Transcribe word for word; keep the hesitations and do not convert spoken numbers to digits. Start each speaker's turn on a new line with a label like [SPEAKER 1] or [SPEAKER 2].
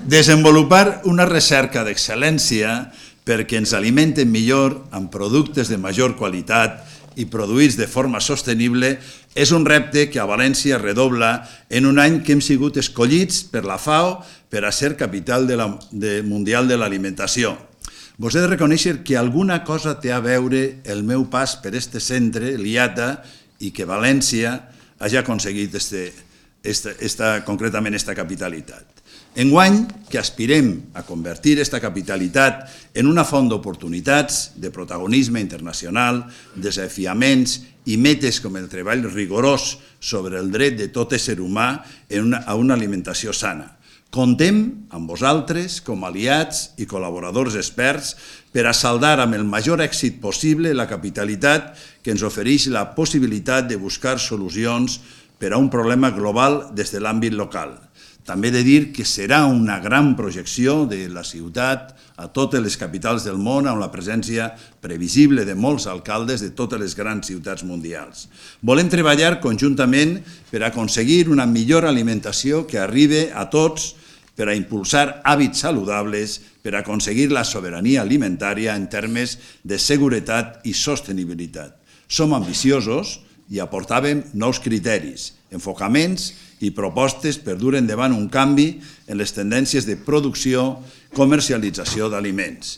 [SPEAKER 1] Desenvolupar una recerca d'excel·lència perquè ens alimenten millor amb productes de major qualitat i produïts de forma sostenible és un repte que a València redobla en un any que hem sigut escollits per la FAO per a ser capital de la, de mundial de l'alimentació. Vos he de reconèixer que alguna cosa té a veure el meu pas per este centre, l'I A T A, i que València hagi aconseguit este, esta, esta, concretament esta capitalitat. Enguany, que aspirem a convertir esta capitalitat en una font d'oportunitats, de protagonisme internacional, desafiaments i metes com el treball rigorós sobre el dret de tot ésser humà a una alimentació sana. Contem amb vosaltres com aliats i col·laboradors experts per a saldar amb el major èxit possible la capitalitat que ens ofereix la possibilitat de buscar solucions per a un problema global des de l'àmbit local. També he de dir que serà una gran projecció de la ciutat a totes les capitals del món amb la presència previsible de molts alcaldes de totes les grans ciutats mundials. Volem treballar conjuntament per aconseguir una millor alimentació que arribi a tots, per a impulsar hàbits saludables, per a aconseguir la sobirania alimentària en termes de seguretat i sostenibilitat. Som ambiciosos i aportàvem nous criteris, enfocaments i propostes per dur endavant un canvi en les tendències de producció i comercialització d'aliments.